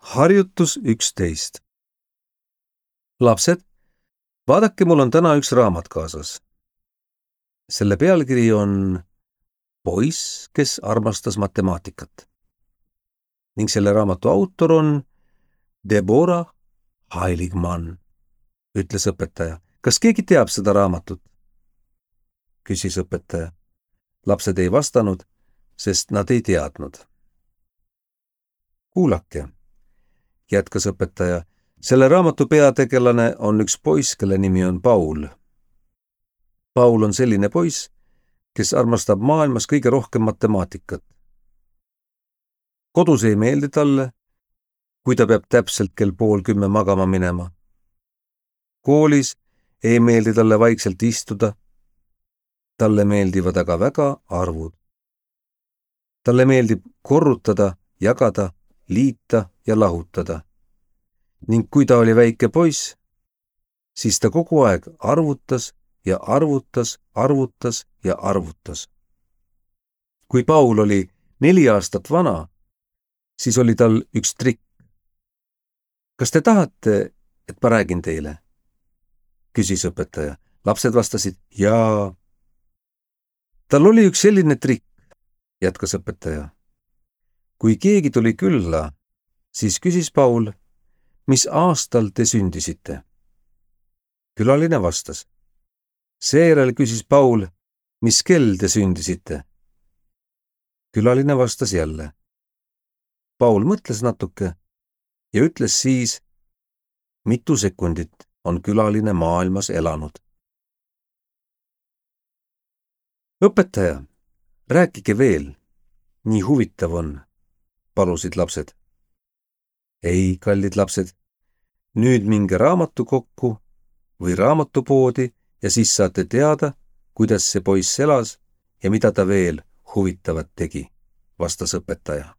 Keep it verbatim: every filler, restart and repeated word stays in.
Harjutus üksteist. Lapsed, vaadake, mul on täna üks raamat kaasas. Selle pealkiri on Poiss, kes armastas matemaatikat. Ning selle raamatu autor on Deborah Heiligmann, ütles õpetaja. Kas keegi teab seda raamatut? Küsis õpetaja. Lapsed ei vastanud, sest nad ei teadnud. Kuulake, jätkas õpetaja. Selle raamatu peategelane on üks poiss, kelle nimi on Paul. Paul on selline poiss, kes armastab maailmas kõige rohkem matemaatikat. Kodus ei meeldi talle, kui ta peab täpselt kell pool kümme magama minema. Koolis ei meeldi talle vaikselt istuda. Talle meeldivad aga väga arvud. Talle meeldib korrutada, jagada, liita ja lahutada. Ning kui ta oli väike poiss, siis ta kogu aeg arvutas ja arvutas, arvutas ja arvutas. Kui Paul oli neli aastat vana, siis oli tal üks trikk. Kas te tahate, et ma räägin teile? Küsis õpetaja. Lapsed vastasid jaa. Tal oli üks selline trikk, jätkas õpetaja. Kui keegi tuli külla, siis küsis Paul, mis aastal te sündisite? Külaline vastas. Seejärel küsis Paul, mis kell te sündisite? Külaline vastas jälle. Paul mõtles natuke ja ütles siis, mitu sekundit on külaline maailmas elanud. Õpetaja, rääkige veel, nii huvitav on, palusid lapsed. Ei, kallid lapsed, nüüd minge raamatukokku või raamatupoodi ja siis saate teada, kuidas see poiss elas ja mida ta veel huvitavat tegi, vastas õpetaja.